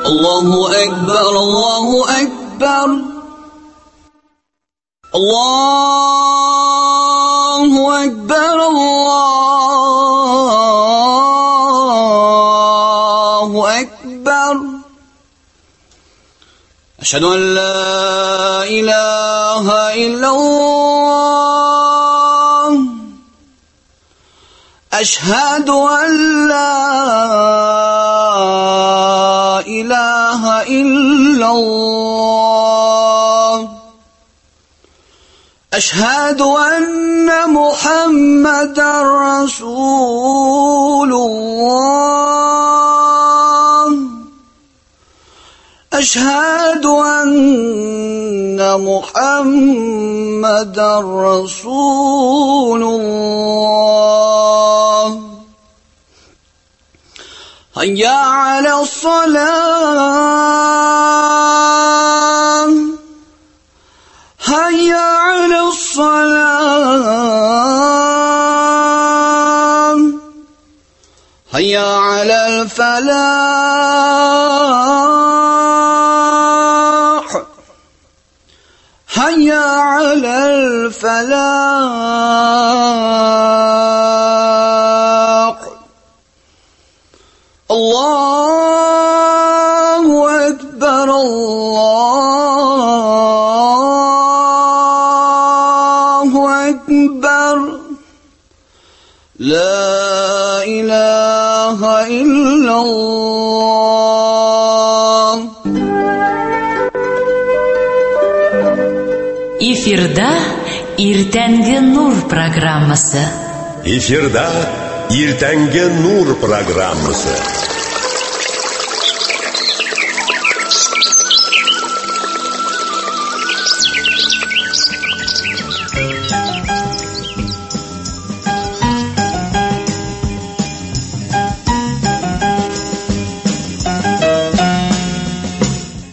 Allahu Akbar, Allahu Akbar. Allahu Akbar, Allahu Akbar. أشهد أن لا إله إلا الله. أشهد أن لا إله إلا الله. أشهد أن محمدا رسول الله. أشهد أن محمدا رسول الله. هيا على الصلاة، هيا على الصلاة، هيا على الفلاح، هيا على الفلاح. الله أكبر، الله أكبر، لا إله إلا الله. Эфирда Иртәнге Нур программасы. Эфирда Иртәнге Нур программасы.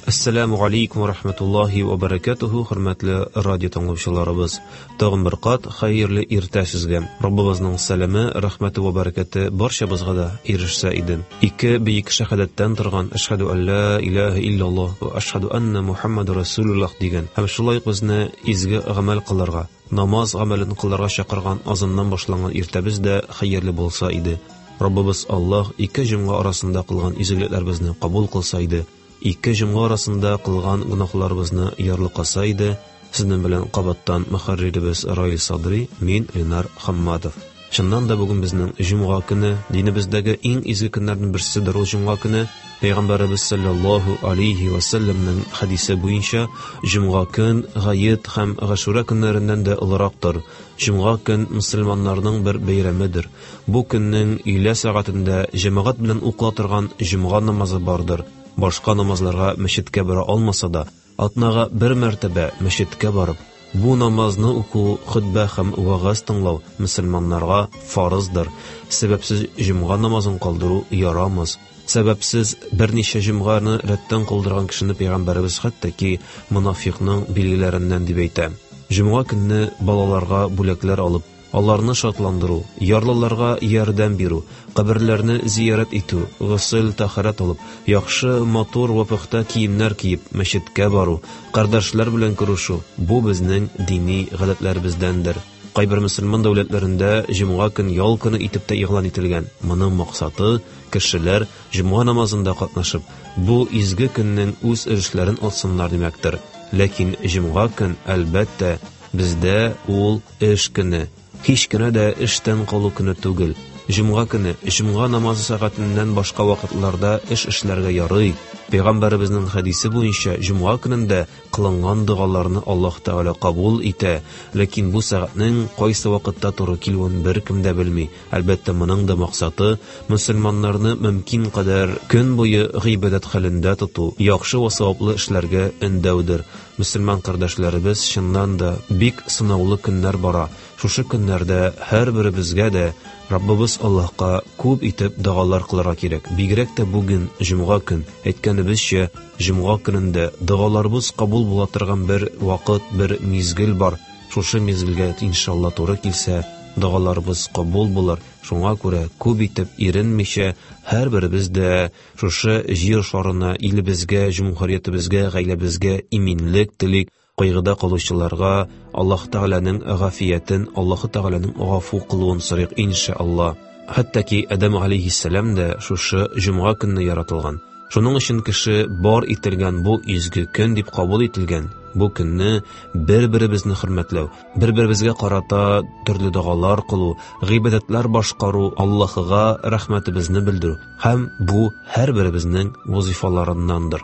Ассаламу алейкум ва рахматуллахи ва баракатуху, хөрмәтле радио тыңлаучыларыбыз. Тагын бер кат хәерле иртә сезгә. Раббыбызның сәламе, рәхмәте ва бәрәкәте барчабызга да ирешсә иде. Ике бөек шәһадәттән торган Әшһәду ан ла илаһа иллаллаһ ва әшһәду анна Мухаммаду расулуллаһ дигән һәм шулай ук безне изге гамәл кылырга, намаз гамәлен кылырга чакырган азаннан башланган иртәбез дә хәерле булса иде. Раббыбыз Аллаһ ике җомга арасында кылган изгелекләребезне кабул кылса иде. Ике җомга арасында кылган гөнаһларыбызны ярлыкаса иде. Сезнең белән кабаттан мөхәрриребез Раил Садри, мин Ленар Хамматов. Чыннан да бүген безнең җомга көне, динебездәге иң изге көннәрнең берседер ул җомга көне. Пәйгамбәребез саллаллаһу алейхи ва саллямның хәдисе буенча җомга көн гает һәм Гашура көннәреннән дә олырактыр. Җомга көн мөселманнарның бер бәйрәмедер. Бу көннең өйлә сәгатендә җәмәгать белән укыла торган җомга намазы бардыр. Башка намазларга мәчеткә бара алмаса да, атнага бер мәртәбә мәчеткә барып, бу намазны уку, хөтбә һәм вәгазь тыңлау мөселманнарга фарыздыр. Сәбәпсез җомга намазын калдыру ярамас. Сәбәпсез берничә җомганы рәттән калдырган кешене пәйгамбәребез хәтта ки монафикның билгеләреннән дип әйтә. Җомга көнне балаларга бүләкләр алып, аларны шатландыру, ярлыларга ярдәм бирү, каберләрне зиярәт итү, госел, тәһарәт алып, яхшы, матур вә пөхтә киемнәр киеп, мәчеткә бару, кардәшләр белән күрешү бу безнең дини гадәтләребездәндер. Кайбер мөселман дәүләтләрендә җомга көн ял көне итеп тә игълан ителгән. Моның максаты кешеләр җомга намазында катнашып, бу изге көннең үз өлешләрен алсыннар димәктер. Ләкин җомга көн, әлбәттә, бездә ул эш көне. Һич кенә дә эштән калу көне түгел. Җомга көне, җомга намазы сәгатеннән башка вакытларда эш эшләргә ярый. Пәйгамбәребезнең хәдисе буенча җомга көнендә кылынган догаларны Аллаһ Тәгалә кабул итә. Ләкин бу сәгатьнең кайсы вакытта туры килүен беркем дә белми. Әлбәттә, моның да максаты мөселманнарны мөмкин кадәр көн буе гыйбадәт хәлендә тоту, яхшы ва саваплы эшләргә өндәүдер. Мөселман кардәшләребез, чыннан да бик сынаулы көннәр бара. Шушы көннәрдә һәрберебезгә дә Раббыбыз Аллаһка күп итеп догалар кылырга кирәк. Бигрәк тә бүген җомга көн. Әйткәнебезчә, җомга көнендә догаларыбыз кабул була торган бер вакыт, бер мизгел бар. Шушы мизгелгә иншалла туры килсә, Догаларыбыз кабул булыр. Шуңа күрә күп итеп иренмичә һәрберебез дә шушы җир шарына, илебезгә, җөмһүриятебезгә, гаиләбезгә иминлек телик. Кайгыда калучыларга Аллаһ Тәгаләнең гафиятен, Аллаһ Тәгаләнең гафу кылуын сорыйк, иншалла. Хәтта ки Адәм алейһиссәлам дә шушы җомга көнне яратылган. Шуның өчен кеше бар ителгән бу изге көн дип кабул ителгән. Бу көнне бер-беребезне хөрмәтләү, бер-беребезгә карата төрле догалар кылу, гыйбадәтләр башкару, Аллаһыга рәхмәтебезне белдерү һәм бу һәрберебезнең вазифаларыннандыр.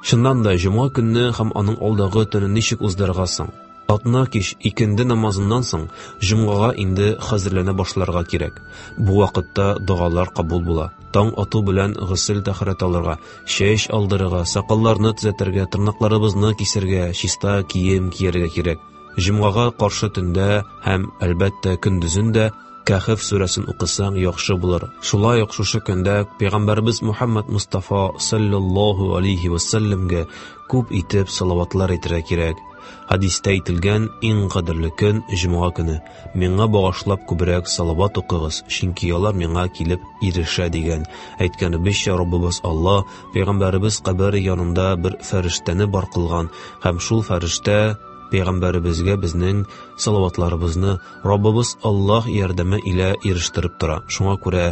Чыннан да, җомга көнне һәм аның алдагы төнен ничек уздырырга соң? Атна кич икенде намазыннан соң җомгага инде хәзерләнә башларга кирәк. Бу вакытта догалар кабул була. Таң ату белән госел тәһарәт алырга, чәч алдырырга, сакалларны төзәтергә, тырнакларыбызны кисергә, чиста кием кияргә кирәк. Җомгага каршы төндә һәм, әлбәттә, көндезен дә Кәһф сүрәсен укысаң яхшы булыр. Шулай ук шушы көндә Пәйгамбәребез Мухаммад Мустафа саллаллаһу алейхи ва сәлләмгә күп итеп салаватлар әйтергә кирәк. Хәдистә әйтелгән иң кадерле көн җомга көне. Миңа багышлап күбрәк салават укыгыз, чөнки алар миңа килеп ирешә дигән. Әйткәнебезчә, Раббыбыз Аллаһ Пәйгамбәребез кабере янында бер фәрештәне бар кылган һәм шул фәрештә Пәйгамбәребезгә безнең салаватларыбызны Раббыбыз Аллаһ ярдәме илә ирештереп тора. Шуңа күрә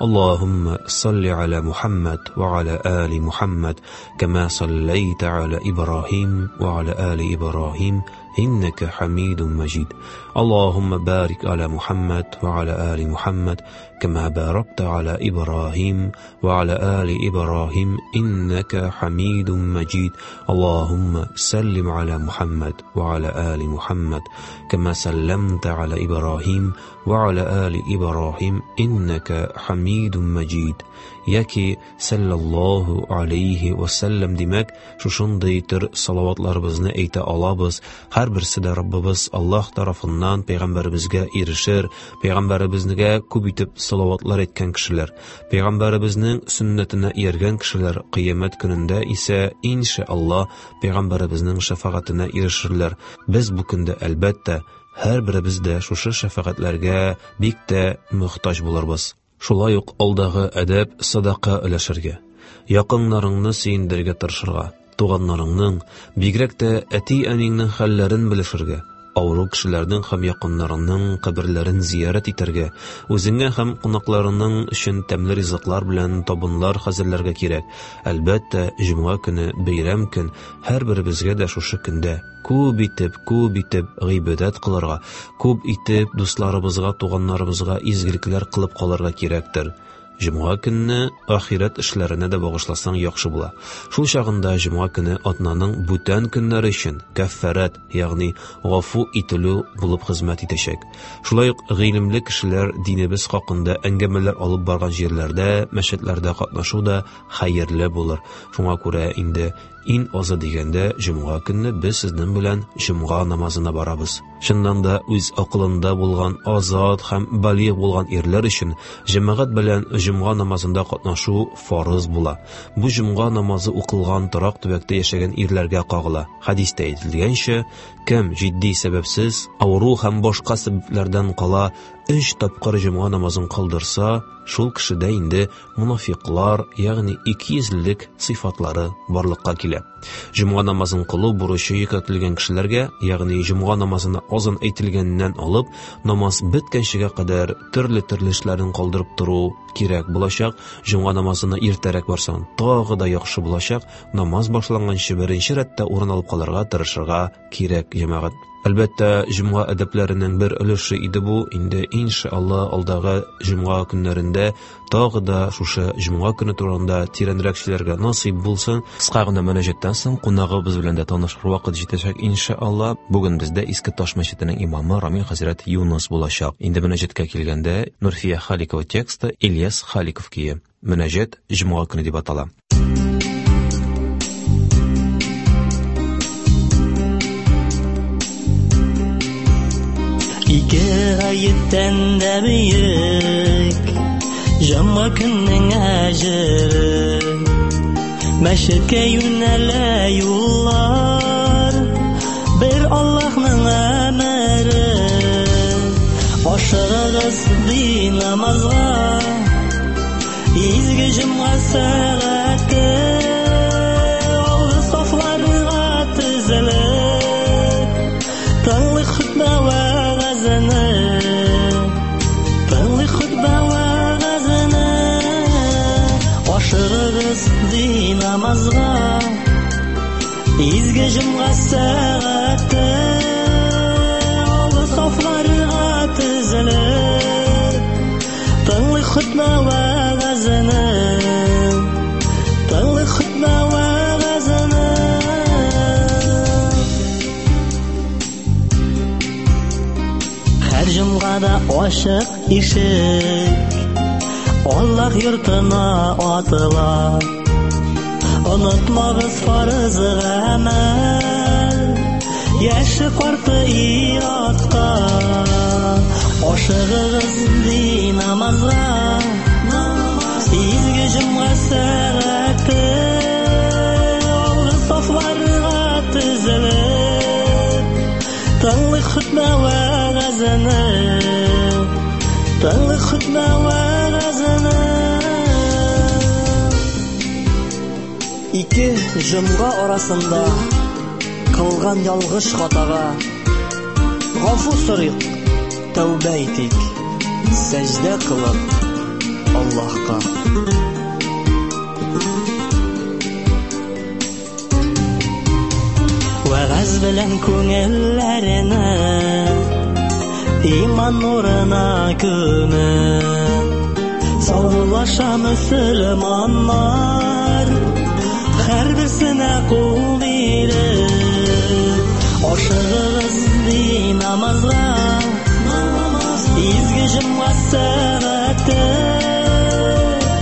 Аллаһумма салли аля Мухаммад ва аля али Мухаммад, кама саллайта аля Ибраһим ва аля али Ибраһим, иннәкә хамидун маҗид. Аллаһумма барик аля Мухаммад ва аля али Мухаммад, кама баракта аля Ибраһим ва аля али Ибраһим, иннәкә хамидун маҗид. Аллаһумма саллим аля Мухаммад ва аля али Мухаммад, кама салламта аля Ибраһим ва аля али Ибраһим, иннәкә хамидун маҗид. Яки саллаллаһу алейхи ва саллям димәк, шушындый төр салаватларыбызны әйтә алабыз. Һәрберсе дә Раббыбыз Аллаһ тарафыннан пәйгамбәребезгә ирешер, пәйгамбәребезгә күп итеп салаватлар әйткән кешеләр, пәйгамбәребезнең сөннәтенә ияргән кешеләр кыямәт көнендә исә иншалла пәйгамбәребезнең шәфәгатенә ирешерләр. Без бу көндә әлбәттә һәрберебез дә шушы шәфәгатьләргә бик тә мохтаҗ булырбыз. Шулай ук алдагы әдәп садака өләшергә, якыннарыңны сөендерергә тырышырга, туганнарыңның, бигрәк тә әти-әниңнең хәлләрен белешергә, авыру кешеләрнең һәм якыннарыңның каберләрен зиярәт итәргә, үзеңә һәм кунакларының өчен тәмле ризыклар белән табынлар хәзерләргә кирәк. Әлбәттә, җомга көне бәйрәм көн, һәрберебезгә дә шушы көндә күп итеп, күп итеп гыйбадәт кылырга, күп итеп дусларыбызга, туганнарыбызга изгелекләр кылып калырга кирәктер. Җомга көнне ахирәт эшләренә дә багышласаң яхшы була. Шул чагында җомга көне атнаның бүтән көннәре өчен кәффәрәт, ягъни гафу ителү булып хезмәт итәчәк. Шулай ук гыйлемле кешеләр динебез хакында әңгәмәләр алып барган җирләрдә, мәчетләрдә катнашу да хәерле булыр. Шуңа күрә инде иң азы дигәндә җомга көнне без сезнең белән җомга намазына барабыз. Чыннан да үз акылында булган азат һәм балигъ булган ирләр өчен җәмәгать белән җомга намазында катнашу фарыз була. Бу җомга намазы укылган торак төбәктә яшәгән ирләргә кагыла. Хәдистә әйтелгәнчә, кем җитди сәбәпсез, авыру һәм башка сәбәпләрдән кала 3 тапкыр җомга намазын кылдырса, шул кешедә инде мунафиклар, ягъни икейөзлелек сыйфатлары барлыкка килә. Җомга намазын кылу бурычы йөкләтелгән кешеләргә, ягъни җомга намазына азан әйтелгәннән алып, намаз беткәнчегә кадәр төрле-төрле эшләрен калдырып тору кирәк булачак. Җомга намазына иртәрәк барсаң, тагы да яхшы булачак. Намаз башланганчы беренче рәттә урын алып калырга тырышырга кирәк, җәмәгать. Әлбәттә, җомга әдәпләренең бер өлеше иде бу. Инде иншалла алдагы җомга көннәрендә тагы да шушы җомга көне турында тирәнрәк сөйләргә насыйп булсын. Кыска гына мөнәҗәттән соң кунагыбыз белән дә танышыр вакыт җитәчәк иншалла. Бүген бездә Иске Таш мәчетенең имамы Рамил хәзрәт Юныс булачак. Инде мөнәҗәткә килгәндә, Нурфия Халикова тексты, Ильяс Халиков көе. Мөнәҗәт җомга көне дип атала. Ике гаеттән дә бөек җомга көннең әҗере. Мәчеткә юнәлә юллар, бер Аллаһның әмере. Ашыгыгыз Намазга. Изге җомга сәгате алгы сафларга тезелеп, тыңлый хөтбә вәгазене, тыңлый хөтбә вәгазене. Ашыгыгыз ди намазга. Изге җомга сәгате алгы сафларга тезелеп, тыңлый хөтбә вәгазене, тыңлый хөтбә вәгазене. Һәр җомгада ачык ишек Аллаһ йортына атыла. Онытмагыз фарыз гамәл, яше карты ир-атка. Ашыгыгыз ди намазга, изге җомга сәгате алгы сафларга тезелеп, тыңлый хөтбә вәгазене, тыңлый хөтбә вәгазене. Ике җомга арасында кылган ялгыш хатага гафу сорыйк, тәүбә итик, сәҗдә кылып Аллаһка. Вәгазь белән күңелләрне иман нурына күмеп, саубуллаша мөселманнар, һәрберсенә кул биреп. Ашыгыгыз ди намазга, изге җомга сәгате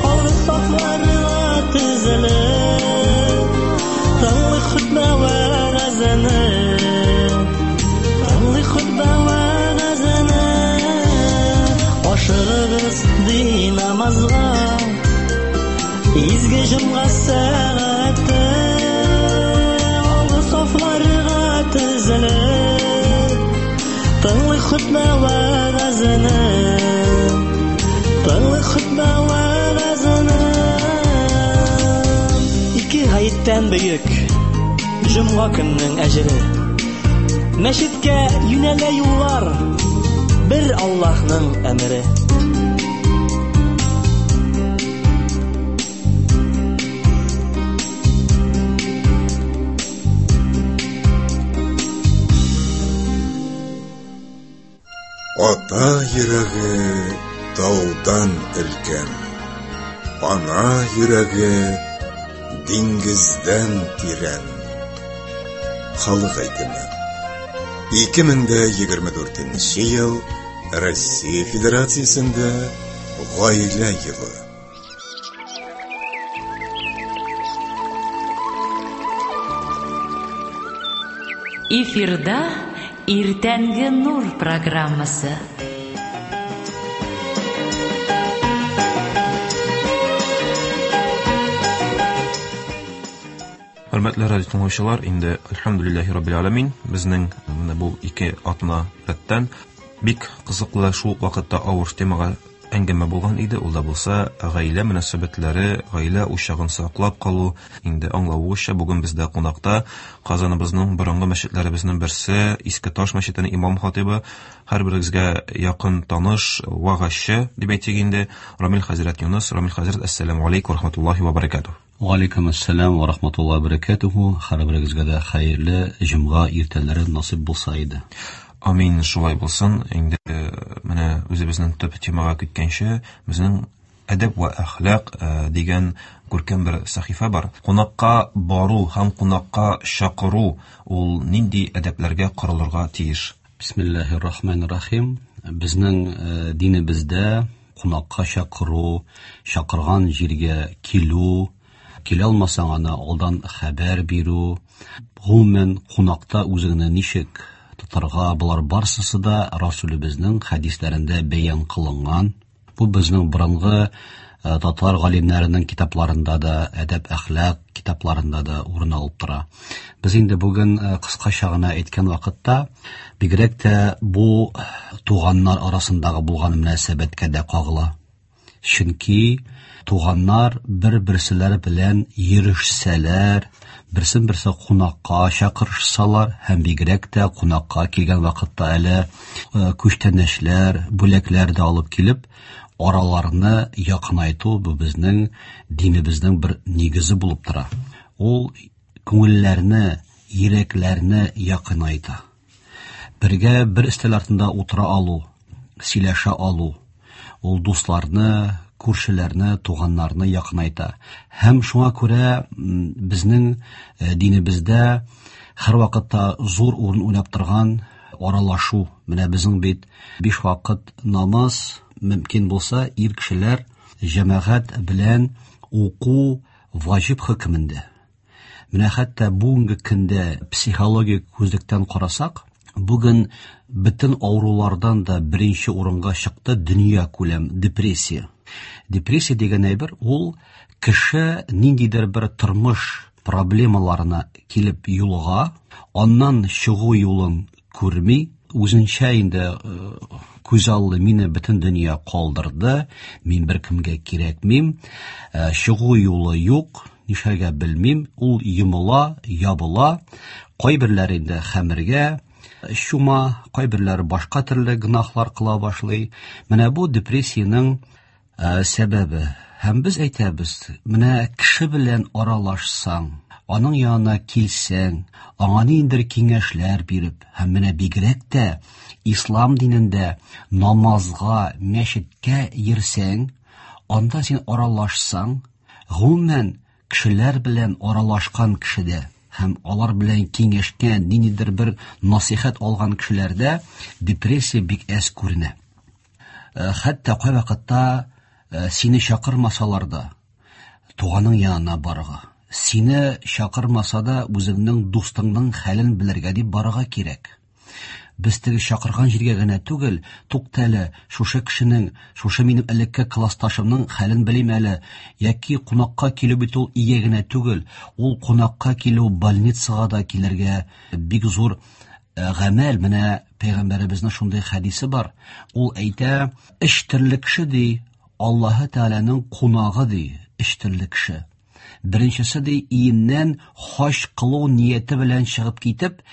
алгы сафларга тезелеп, тыңлый хөтбә вәгазене, тыңлый хөтбә вәгазене. Ашыгыгыз ди намазга, изге җомга сәгате алгы сафларга тезелеп, тыңлый хөтбә вәгазене, тыңлый хөтбә вәгазене. Ике гаеттән бөек җомга көннең әҗере. Мәчеткә юнәлә юллар, бер Аллаһның әмере. Ата йөрәге таудан өлкән, ана йөрәге диңгездән тирән. Халык әйтеме. 2024 ел Россия Федерациясендә гаилә елы. Эфирда Иртәнге нур программасы. Хөрмәтле радио тыңлаучылар, инде әлхәмдүлилләһи раббил аламин, безнең менә бу ике атна рәттән бик кызыклы, шул ук вакытта авыр темага әңгәмә булган иде. Ул да булса гаилә мөнәсәбәтләре, гаилә учагын саклап калу. Инде аңлавыгызча, бүген бездә кунакта Казаныбызның борынгы мәчетләребезнең берсе, Иске Таш мәчетенең имам хатибы, һәрберегезгә якын таныш, вагазчы дип әйтик инде, Рамил хәзрәт Юныс. Рамил хәзрәт, әссәламү алейкум ва рахматуллаһи ва баракатуһ. Ва алейкум ассалам ва рахматуллаһи ва баракатуһу. Һәрберегезгә дә хәерле җомга иртәләре насыйп булса иде. Амин, шулай булсын. Инде менә үзебезнең төп темага киткәнче, безнең әдәп вә әхлак дигән күркәм бер сәхифә бар. Кунакка бару һәм кунакка чакыру ул нинди әдәпләргә корылырга тиеш? Бисмиллаһир рахманир рахим. Безнең динебездә кунакка чакыру, чакырган җиргә килү, килә алмасаң аны алдан хәбәр бирү, гомумән кунакта үзеңне ничек тотарга, болар барсысы да Расулебезнең хәдисләрендә бәян кылынган. Бу безнең борынгы Татар галимнәренең китапларында да, әдәп-әхлак китапларында да урын алып тора. Без инде бүген кыскача гына әйткән вакытта, бигрәк тә бу туганнар арасындагы булган мөнәсәбәткә дә кагыла. Чөнки туганнар бер-берселәре белән йөрешсәләр, берсен-берсе кунакка чакырышсалар һәм бигрәк тә кунакка килгән вакытта әле күчтәнәчләр, бүләкләр дә алып килеп, араларны якынайту бу безнең динебезнең бер нигезе булып тора. Ул күңелләрне, йөрәкләрне якынайта. Бергә бер өстәл артында утыра алу, сөйләшә алу, ул дусларны, күршеләрне, туганнарны якынайта. Һәм шуңа күрә безнең динебездә һәрвакытта зур урын уйнап торган аралашу. Менә безнең бит 5 вакыт намаз мөмкин булса, ир кешеләр җәмәгать белән уку ваҗиб хөкемендә. Менә хәтта бүгенге көндә психологик күзлектән карасак, бүген бөтен авырулардан да беренче урынга чыкты дөнья күләм депрессия. Депрессия дигән әйбер ул кеше ниндидер бер тормыш проблемаларына килеп юлыга, аннан чыгу юлын күрми, үзенчә инде күз алды мине бөтен дөнья калдырды, мин беркемгә кирәкмим, чыгу юлы юк, нишләргә белмим, ул йомыла, ябыла, кайберләре инде хәмергә чума, кайберләре башка төрле гөнаһлар кыла башлый. Менә бу депрессиянең сәбәбе. Һәм без әйтәбез, менә кеше белән аралашсаң, аның янына килсәң, аңа ниндидер киңәшләр биреп, һәм менә бигрәк тә ислам динендә намазга, мәчеткә йөрсәң, анда син аралашсаң, гомумән кешеләр белән аралашкан кешедә һәм алар белән киңәшкән, ниндидер бер насыйхәт алган кешеләрдә депрессия бик әз күренә. Хәтта кайвакытта сине чакырмасалар да, туганың янына барырга, сине чакырмаса да, үзеңнең дустыңның хәлен белергә дип барырга кирәк. Без теге чакырган җиргә генә түгел, тукта әле, шушы кешенең, шушы минем элекке классташымның хәлен белим әле, яки кунакка килү бит ул өйгә генә түгел, ул кунакка килү больницага да килергә бик зур гамәл. Менә пәйгамбәребезнең шундый хәдисе бар. Ул әйтә, өч төрле кеше ди, Аллаһы Тәгаләнең кунагы ди, өч төрле кеше. Беренчесе ди, иеннән хаҗ кылу нияте белән чыгып китеп,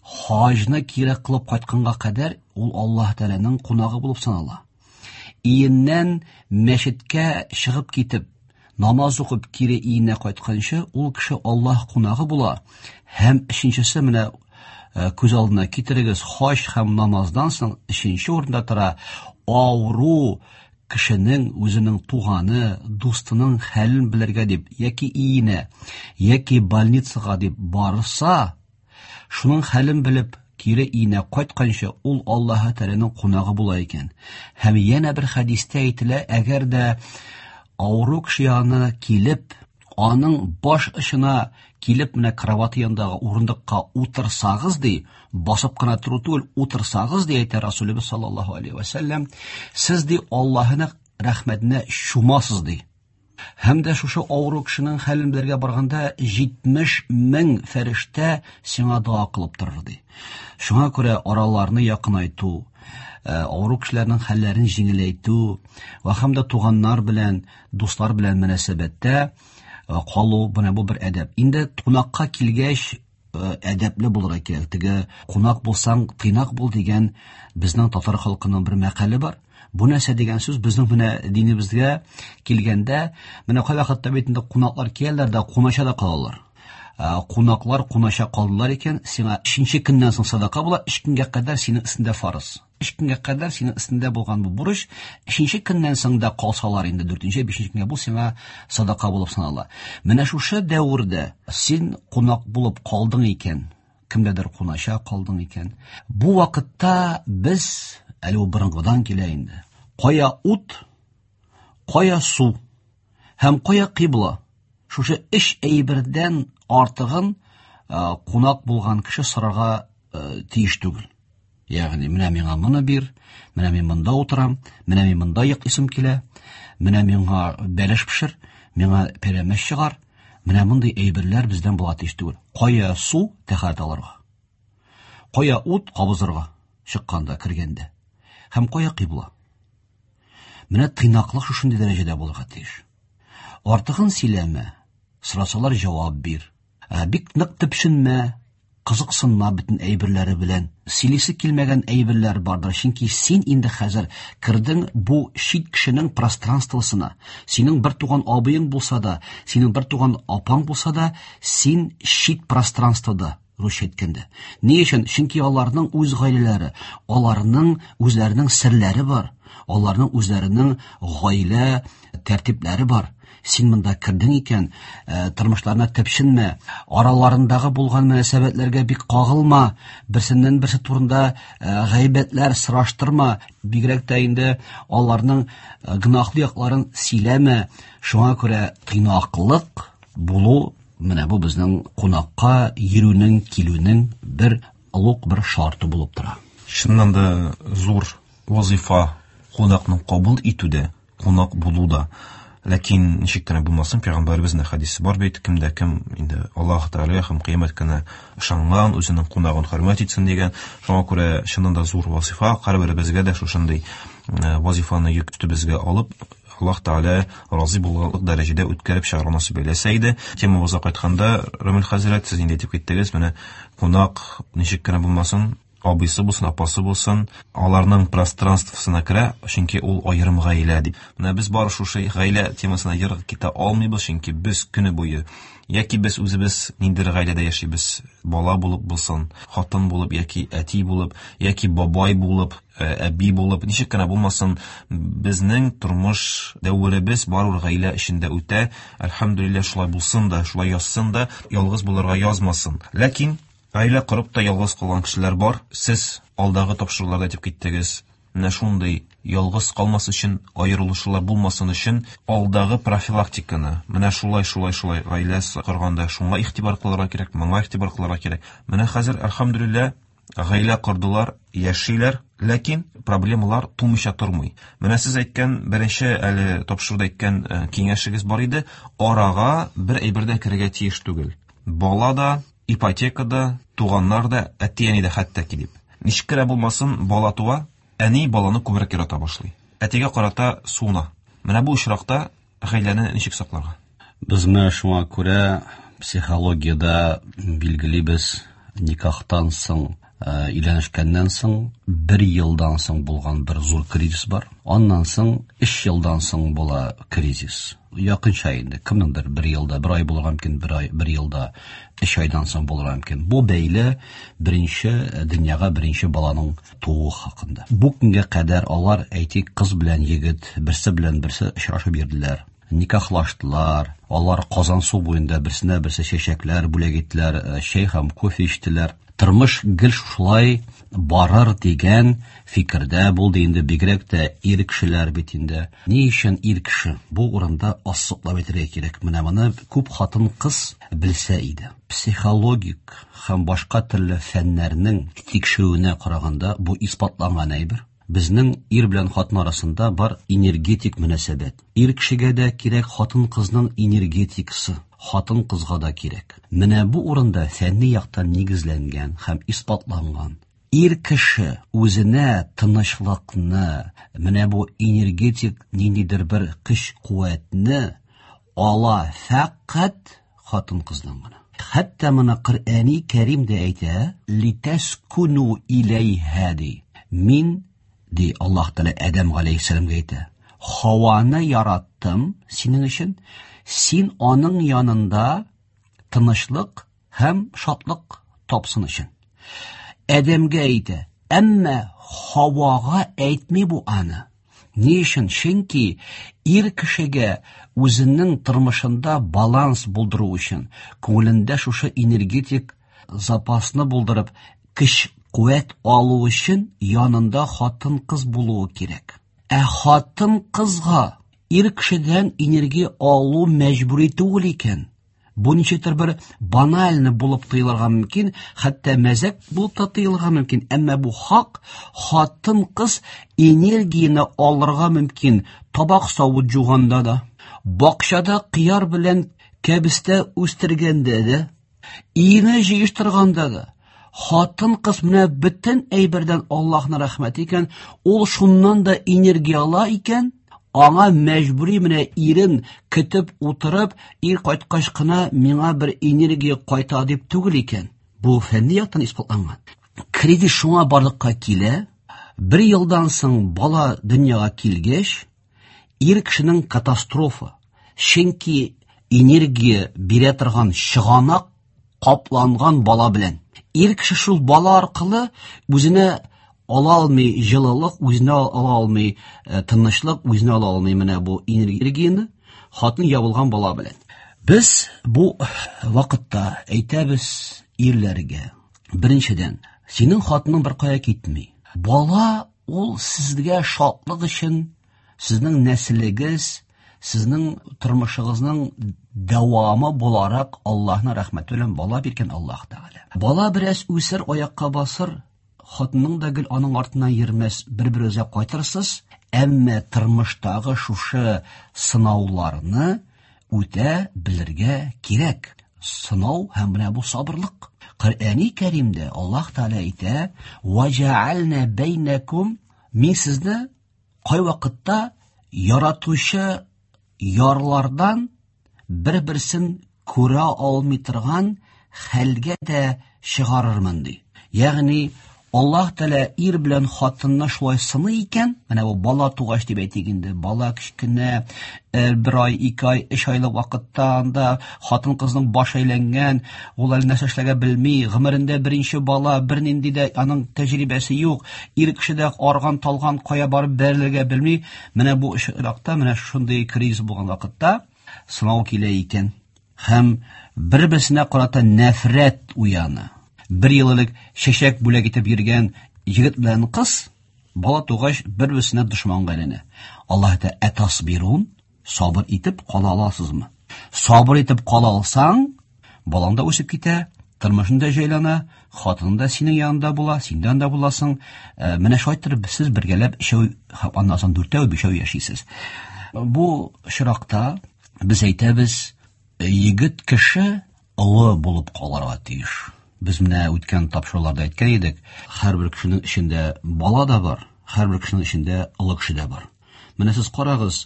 хаҗны кире кылып кайтканга кадәр ул Аллаһ Тәгаләнең кунагы булып санала. Иеннән мәчеткә чыгып китеп, намаз укып кире иенә кайтканчы, ул кеше Аллаһ кунагы була. Һәм өченчесе, менә күз алдына китерегез, хаҗ һәм намаздан соң өченче урында тора авыру кешенең үзенең туганы, дустының хәлен белергә дип, яки иенә, яки больницага дип барса, шуның хәлен белеп кире иенә кайтканчы ул Аллаһы Тәгаләнең кунагы була икән. Һәм янә бер хәдистә әйтелә, әгәр дә авыру кеше янына килеп, аның баш очына килеп менә кровати янындагы урындыкка утырсагыз ди, басып кына тору түгел, утырсагыз ди, әйтә Расулыбыз саллаллаһу алейхи ва сәлләм, сез ди Аллаһының рәхмәтенә чумасыз ди. Һәм дә шушы авыру кешенең хәлен белергә барганда 70 мең фәрештә сиңа дога кылып торыр ди. Шуңа күрә араларны якынайту, авыру кешеләрнең хәлләрен җиңеләйтү ва һәм дә туганнар белән, дуслар белән мөнәсәбәттә калу, менә бу бер әдәп. Инде кунакка килгәч, әдәпле булырга кирәк. Теге кунак булсаң, тыйнак бул дигән безнең татар халкының бер мәкале бар. Бу нәрсә дигән сүз? Безнең менә динебезгә килгәндә, менә кайвакытта бит инде кунаклар киләләр дә кунача да калалар. Кунаклар кунача калдылар икән, сиңа өченче көннән соң садака була, өч көнгә кадәр синең өстендә фарыз. Өч көнгә кадәр синең өстендә булган бу бурыч, өченче көннән соң да калсалар инде дүртенче, бишенче көнгә бу сиңа садака булып санала. Менә шушы дәвердә син кунак булып калдың икән, кемдәдер кунача калдың икән. Бу вакытта без, әле ул борынгыдан килә инде, кая ут, кая су һәм кая кыйбла, шушы өч әйбердән артыгын кунак булган кеше сорарга тиеш түгел. Ягъни менә миңа моны бир, менә мин монда утырам, менә мин монда йоклыйсым килә, менә миңа бәлеш пешер, миңа пәрәмәч чыгар. Менә мондый әйберләр бездән була тиеш түгел. Кая су тәһарәт алырга? Кая ут кабызырга чыкканда, кергәндә? Һәм кая кыйбла? Менә тыйнаклык шушындый дәрәҗәдә булырга тиеш. Артыгын сөйләмә, сорасалар җавап бир. Бик нык төпченмә, кызыксынма бөтен әйберләре белән. Сөйлисе килмәгән әйберләр бардыр, чөнки син инде хәзер кердең бу чит кешенең пространствосына. Синең бер туган абыең булса да, синең бер туган апаң булса да, син чит пространствода, русча әйткәндә. Ни өчен? Чөнки аларның үз гаиләләре, аларның үзләренең серләре бар, аларның үзләренең гаилә тәртипләре бар. Син монда кердең икән, тормышларына төпченмә, араларындагы булган мөнәсәбәтләргә бик кагылма, берсеннән берсе турында гайбәтләр сораштырма, бигрәк тә инде аларның гөнаһлы якларын сөйләмә. Шуңа күрә тыйнаклык булу менә бу безнең кунакка йөрүнең, килүнең бер олуг бер шарты булып тора. Чыннан да зур вазифа кунакны кабул итүдә, кунак булуда. Ләкин ничек кенә булмасын, пәйгамбәребезнең хәдисе бар бит, кем дә кем инде Аллаһ Тәгаләгә һәм кыямәт көненә ышанган, үзенең кунагын хөрмәт итсен дигән. Шуңа күрә чыннан да зур вазифа, һәрберебезгә дә шушындый вазифаны йөк өстебезгә алып, Аллаһ Тәгалә разый булырлык дәрәҗәдә үткәреп чыгарга насыйп әйләсә иде. Темабызга кайтканда, Рамил хәзрәт, сез инде әйтеп киттегез, менә кунак ничек кенә булмасын, абыйсы булсын, апасы булсын, аларның пространствосына керә, чөнки ул аерым гаилә дип. Менә без бары шушы гаилә темасына ерак китә алмыйбыз, чөнки без көне буе яки без үзебез ниндидер гаиләдә яшибез, бала булып булсын, хатын булып яки әти булып, яки бабай булып, әби булып, ничек кенә булмасын, безнең тормыш дәверебез барыбер гаилә эчендә үтә. Әлхәмдүлилләһ, шулай булсын да, шулай язсын да, ялгыз булырга язмасын. Ләкин гаилә корып та ялгыз калган кешеләр бар. Сез алдагы тапшыруларда әйтеп киттегез, менә шундый ялгыз калмас өчен, аерылышулар булмасын өчен алдагы профилактиканы, менә шулай, шулай, шулай гаилә корганда шуңа игътибар кылырга кирәк, моңа игътибар кылырга кирәк. Менә хәзер, әлхәмдүлилләһ, гаилә кордылар, яшиләр, ләкин проблемалар тумыйча тормый. Менә сез әйткән, беренче әле тапшыруда әйткән киңәшегез бар иде, арага бер әйбер дә керергә тиеш түгел. Бала да, ипотека да, туганнар да, әти-әни дә хәтта ки дип. Ничек кенә булмасын, бала туа, әни баланы күбрәк ярата башлый. Әтигә карата суына. Менә бу очракта гаиләне ничек сакларга? Без менә шуңа күрә психологиядә билгелибез, никахтан соң, өйләнешкәннән соң бер елдан соң булган бер зур кризис бар. Аннан соң 3 елдан соң була кризис. Якынча инде, кемнеңдер бер елда, бер ай булырга мөмкин, бер ай, бер елда 3 айдан соң булырга мөмкин. Бу бәйле беренче дөньяга беренче баланың тууы хакында. Бу көнгә кадәр алар, әйтик, кыз белән егет, берсе белән берсе очрашып йөрделәр, никахлаштылар, алар Казансу буенда берсенә берсе чәчәкләр бүләк иттеләр, чәй һәм кофе эчтеләр. Тормыш гел шулай барыр дигән фикердә булды инде, бигрәк тә ир кешеләр бит инде. Ни өчен ир кеше? Бу урында ассыклап әйтергә кирәк. Менә моны күп хатын-кыз белсә иде. Психологик һәм башка төрле фәннәрнең тикшерүенә караганда бу исбатланган әйбер. Безнең ир белән хатын арасында бар энергетик мөнәсәбәт. Ир кешегә дә кирәк хатын-кызның энергетикасы, хатын-кызга да кирәк. Менә бу урында фәнни яктан нигезләнгән һәм исбатланган. Ир кеше үзенә тынычлыкны, менә бу энергетик ниндидер бер көч-куәтне ала фәкать хатын-кыздан гына. Хәтта моны Коръәни Кәрим дә әйтә, литәскуну иләйһә ди. Мин, ди Аллаһ Тәгалә Адәм галәйһиссәламгә әйтә, Хаваны яраттым синең өчен, син аның янында тынычлык һәм шатлык тапсын өчен. Адәмгә әйтә, әмма Хавага әйтми бу аны. Ни өчен? Чөнки ир кешегә үзенең тормышында баланс булдыру өчен, күңелендә шушы энергетик запасны булдырып, көч куәт алу өчен янында хатын-кыз булуы кирәк. Ә хатын-кызга ир кешедән энергия алу мәҗбүри түгел икән. Бу ничектер бер банальны булып тоелырга мөмкин, хәтта мәзәк булып та тоелырга мөмкин, әмма бу хак. Хатын-кыз энергияне алырга мөмкин табак савыт жуганда да, бакчада кыяр белән кәбестә үстергәндә дә, өйне җыештырганда да. Хатын-кыз менә бөтен әйбердән Аллаһның рәхмәте икән, ул шуннан да энергия ала икән, аңа мәҗбүри менә ирен көтеп утырып, ир кайткач кына миңа бер энергия кайта дип түгел икән. Бу фәнни яктан исбатланган. Кризис шуңа барлыкка килә. Бер елдан соң бала дөньяга килгәч, ир кешенең катастрофа. Чөнки энергия бирә торган чыганак капланган бала белән. Ир кеше шул бала аркылы үзенә ала алмый җылылык, үзенә ала алмый тынычлык, үзенә ала алмый менә бу энергияне хатын ябылган бала белән. Без бу вакытта әйтәбез ирләргә: беренчедән, синең хатының бер кая китми. Бала ул сезгә шатлык өчен, сезнең нәселегез, сезнең тормышыгызның дәвамы буларак Аллаһның рәхмәте белән бала биргән Аллаһ Тәгалә. Бала бераз үсер, аякка басыр, хатының да гел аның артыннан йөрмәс, бер-берегезгә кайтырсыз, әмма тормыштагы шушы сынауларны үтә белергә кирәк. Сынау һәм менә бу сабырлык. Коръәни Кәримдә Аллаһ Тәгалә әйтә: "Ва бәйнәкум", мин сезне кайвакытта яратучы ярлардан бер-берсен күрә алмый торган хәлгә дә чыгарырмын, ди. Ягъни Аллаһ Тәгалә ир белән хатынны шулай сыный икән, менә бу бала тугач дип әйтик инде, бала кечкенә, бер ай, 2 ай, 3 айлык вакытта анда хатын кызның башы әйләнгән, ул әле нәрсә эшләргә белми, гомерендә беренче бала, бернинди дә аның тәҗрибәсе юк, ир кеше дә арган, талган, кая барып бәрелергә белми. Менә бу очракта, менә шундый кризис булган вакытта сынау килә икән. Һәм бер-берсенә карата нәфрәт уяна. Бер ел элек чәчәк бүләк итеп йөргән егет белән кыз бала тугач бер-берсенә дошманга әйләнә. Аллаһ әйтә: "Әтасбирун", сабыр итеп кала аласызмы? Сабыр итеп кала алсаң, балаң да үсеп китә, тормышың да җайлана, хатының да синең янында була, син дә анда буласың. Менә шулай итеп сез бергәләп өчәү, аннан соң дүртәү, бишәү яшисез. Бу очракта без әйтәбез, егет кеше олы булып калырга тиеш. Без менә үткән тапшыруларда әйткән идек, һәрбер кешенең эчендә бала да бар, һәрбер кешенең эчендә олы кеше дә бар. Менә сез карагыз,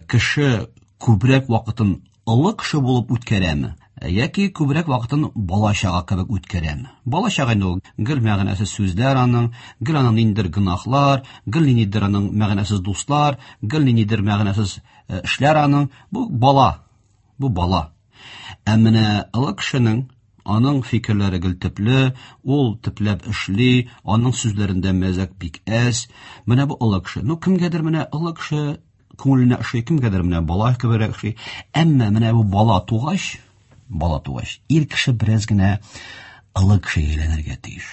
кеше күбрәк вакытын олы кеше булып үткәрәме, яки күбрәк вакытын бала чага кебек үткәрәме? Бала чага инде ул гел мәгънәсез сүзләр аның, гел аның ниндидер гөнаһлар, гел ниндидер аның мәгънәсез дуслар, гел ниндидер мәгънәсез эшләр аның. Бу бала, бу бала. Ә менә олы кешенең аның фикерләре гел төпле, ул төпләп эшли, аның сүзләрендә мәзәк бик әз. Менә бу олы кеше. Ну, кемгәдер менә олы кеше күңеленә ошый, кемгәдер менә бала кеберәк ошый. Әмма менә бу бала тугач, бала тугач, ир кеше бераз генә олы кешегә әйләнергә тиеш.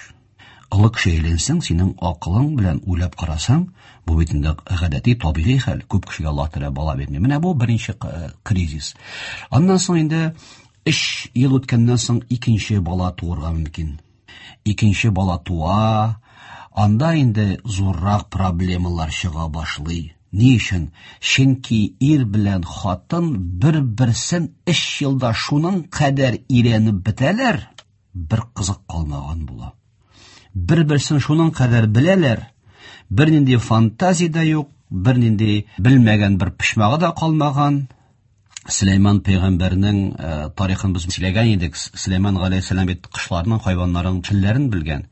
Олы кеше әйләнсәң, синең акылың белән уйлап карасаң, бу бит инде гадәти, табигый хәл. Күп кешегә Аллаһ Тәгалә бала бирми. Менә бу беренче кризис. Аннан соң инде 3 ел үткәннән соң икенче бала туырга мөмкин. Икенче бала туа, анда инде зуррак проблемалар чыга башлый. Ни өчен? Чөнки ир белән хатын бер-берсен 3 елда шуның кадәр өйрәнеп бетәләр, бер кызык калмаган була. Бер-берсен шуның кадәр беләләр, бернинди фантазия дә юк, бернинди белмәгән бер почмагы да калмаган. Сөләйман пәйгамбәрнең тарихын без сөйләгән идек. Сөләйман галәйһиссәлам бит кошларның, хайваннарның телләрен белгән.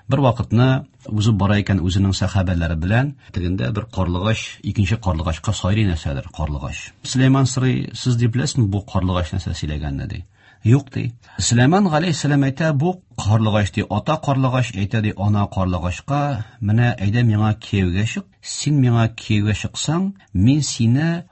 Бер вакытны узып бара икән үзенең сәхабәләре белән, тегендә бер карлыгач, икенче карлыгачка сайрый нәрсәдер, карлыгач. Сөләйман сорый, сез дип беләсезме бу карлыгач нәрсә сөйләгәнне, ди. Юк, ди. Сөләйман галәйһиссәлам әйтә, бу карлыгач ди, ата карлыгач әйтә ди, ана карлыгачка, менә әйдә миңа кияүгә чык. Син миңа кияүгә чыксаң, мин сине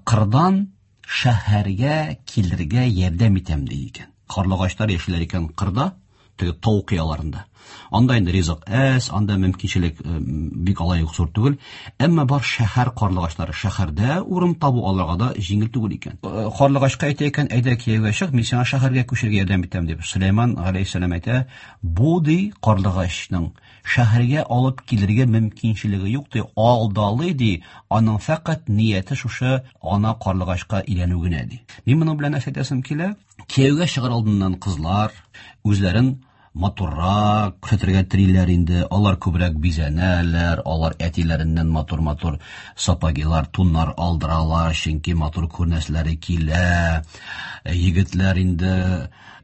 кырдан шәһәргә килергә ярдәм итәм, ди икән. Карлыгачлар яшиләр икән кырда, Теге тау кыяларында. Анда инде ризык әз, анда мөмкинчелек бик алай ук зур түгел. Әмма бар шәһәр карлыгачлары. Шәһәрдә урын табу аларга да җиңел түгел икән. Карлыгачка әйтә икән, әйдә кияүгә чык, мин сиңа шәһәргә күчәргә ярдәм итәм дип. Сөләйман галәйһиссәлам әйтә, бу ди карлыгачның шәһәргә алып килергә мөмкинчелеге юк ди, алдалый ди, аның фәкать нияте шушы ана карлыгачка өйләнү генә ди. Мин моның белән нәрсә әйтәсем килә? Кияүгә чыгар алдыннан кызлар үзләрен матуррак күрсәтергә телиләр инде. Алар күбрәк бизәнәләр, алар әтиләреннән матур-матур сапогилар, туннар алдыралар, чөнки матур күренәселәре килә. Егетләр инде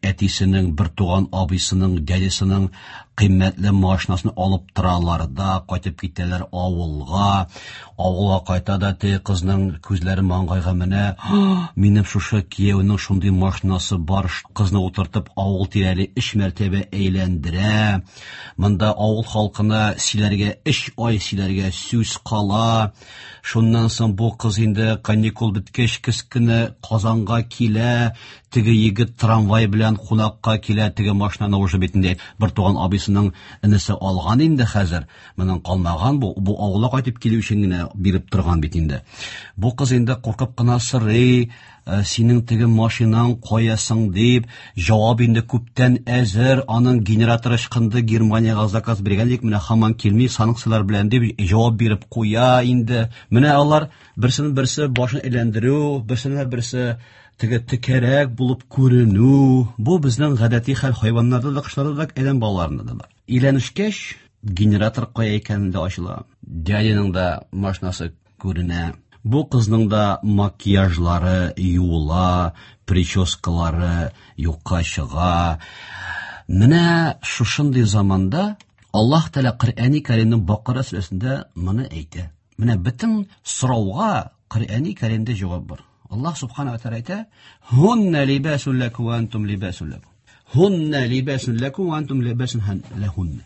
әтисенең, бертуган абыйсының, дядясының кыйммәтле машинасын алып торалар да, кайтып китәләр авылга. Авылга кайта да теге кызның күзләре маңгайга менә, минем шушы кияүнең шундый машинасы бар, кызны утыртып авыл тирәли 3 мәртәбә әйләндерә. Монда авыл халкына сөйләргә 3 ай сөйләргә сүз кала. Шуннан соң бу кыз инде каникул беткәч көз көне Казанга килә, теге егет трамвай белән кунакка килә, теге машинаны уже бит инде бер туган абыйсының энесе алган инде хәзер. Моның калмаган бу, бу авылга кайтып килү өчен генә биреп торган бит инде. Бу кыз инде куркып кына сорый, синең теге машинаң кая соң дип, җавап инде күптән әзер, аның генераторы ычкынды, Германиягә заказ биргән идек, менә һаман килми, санкцияләр белән дип җавап биреп куя инде. Менә алар берсенең берсе башын әйләндерү, берсенә берсе теге текәрәк булып күренү, бу безнең гадәти хәл, хайваннарда да, кошларда да, адәм балаларында да бар. Өйләнешкәч, генератор кая икәнен дә ачыла. Дядяның да машинасы күренә. Бу кызның да макияжлары юыла, прическалары юкка чыга. Менә шушындый заманда Аллаһ Тәгалә Коръәни Кәримнең Бакара сүрәсендә моны әйтә. Менә бөтен сорауга Коръәни Кәримдә җавап бар. Аллаһ Субхана ва Тәгалә әйтә: "Һунна либасун лакум ва антум либасун лакум". Һунна либасун лакум ва антум либасун лахунна.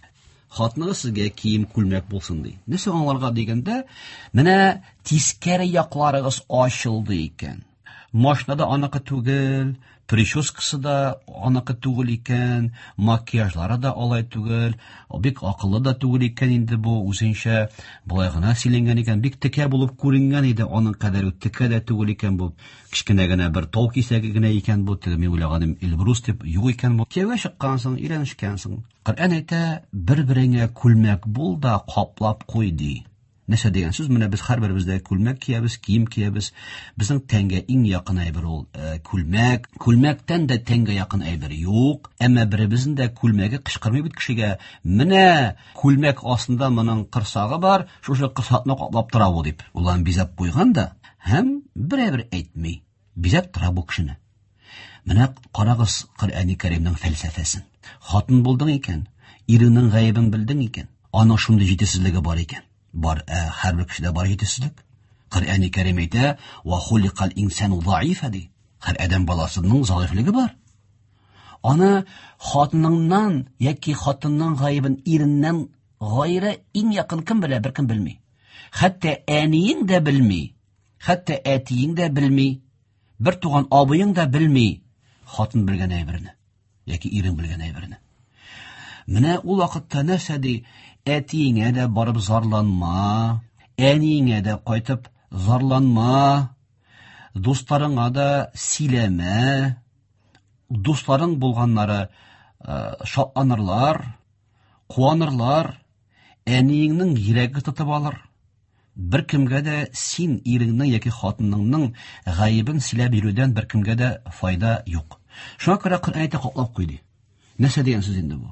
Хатыныгыз сезгә кием күлмәк булсын ди. Нәрсә аңларга дигәндә, менә тискәре якларыгыз ачылды икән. Машина да аныкы түгел, прическасы да аныкы түгел икән, макияжлары да алай түгел, бик акыллы да түгел икән инде бу, үзенчә болай гына сөйләнгән икән, бик текә булып күренгән иде, аның кадәр үк текә дә түгел икән бу, кечкенә генә бер тау кисәге генә икән бу, теге мин уйлаганым Эльбрус дип, юк икән бу. Кияүгә чыккансың, өйләнешкәнсең. Коръән әйтә, бер-береңә күлмәк бул да каплап куй ди. Нәрсә дигән сүз? Менә без һәрберебез дә күлмәк киябез, кием киябез. Безнең тәнгә иң якын әйбер ул күлмәк. Күлмәктән дә тәнгә якын әйбер юк. Әмма беребезнең дә күлмәге кычкырмый бит кешегә. Менә күлмәк астында моның корсагы бар, шушы корсакны каплап тора бу дип. Ул аны бизәп куйган да һәм берәбер әйтми. Бизәп тора бу кешене. Менә карагыз Коръәни Кәримнең фәлсәфәсен. Хатын булдың икән, иреңнең гаебен белдең икән, аның шундый җитешсезлеге бар икән. Бар, һәрбер кешедә бар җитешсезлек. Коръәни Кәрим әйтә, «Ва хуликал инсану заифа» ди. Һәр адәм баласының заифлеге бар. Аны хатыныңнан яки хатынның гаебен иреннән гайре иң якын кем белә, беркем белми. Хәтта әниең дә белми, хәтта әтиең дә белми, бер туган абыең да белми хатын белгән әйберне яки ирең белгән әйберне. Менә ул вакытта нәрсә ди? Әтиеңә дә барып зарланма, әниеңә дә кайтып зарланма, дусларыңа да сөйләмә. Дусларың булганнары шатланырлар, куанырлар, әниеңнең йөрәге тотып алыр. Бер кемгә дә син иреңнең яки хатыныңның гаебен сөйләп йөрүдән бер кемгә дә файда юк. Шуңа күрә Коръән әйтә, каплап куй ди. Нәрсә дигән сүз инде бу?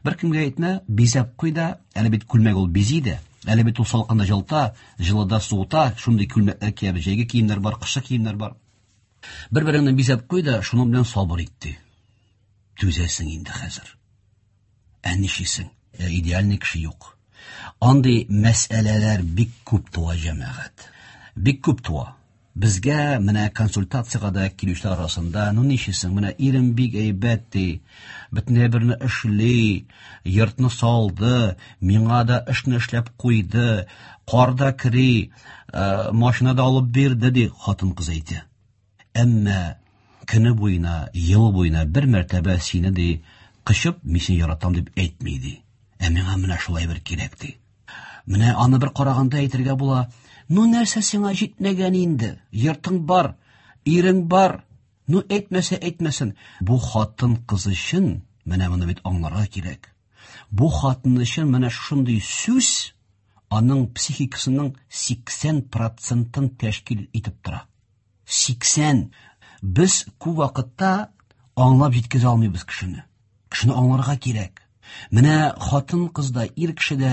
Бер кемгә әйтмә, бизәп куй да, әле бит күлмәк ул бизи дә, әле бит ул салкында җылыта, җылыда суыта, шундый күлмәкләр киябез, җәйге киемнәр бар, кышкы киемнәр бар. Бер-береңне бизәп куй да, шуның белән сабыр ит ди. Түзәсең инде хәзер. Ә нишлисең? Идеальный кеше юк. Андый мәсьәләләр бик күп туа, җәмәгать. Бик күп туа. Безгә менә консультациягә дә килүчеләр арасында, ну нишлисең, менә ирем бик әйбәт ди, бөтен әйберне эшли, йортны салды, миңа да эшне эшләп куйды, кар да кери, машина да алып бирде ди, хатын-кыз әйтә. Әмма көне буена, ел буена бер мәртәбә сине ди Кочып, мин сине яратам дип әйтми ди. Ә миңа менә шулай бер кирәк ди. Менә аны бер караганда әйтергә була, ну нәрсә сиңа җитмәгән инде? Йортың бар, ирең бар. Ну әйтмәсә әйтмәсен. Бу хатын кыз өчен менә моны бит аңларга кирәк. Бу хатын өчен менә шундый сүз аның психикасының 80 процентын тәшкил итеп тора. 80. Без күп вакытта аңлап җиткезә алмыйбыз кешене. Кешене аңларга кирәк. Менә хатын кыз да, ир кеше дә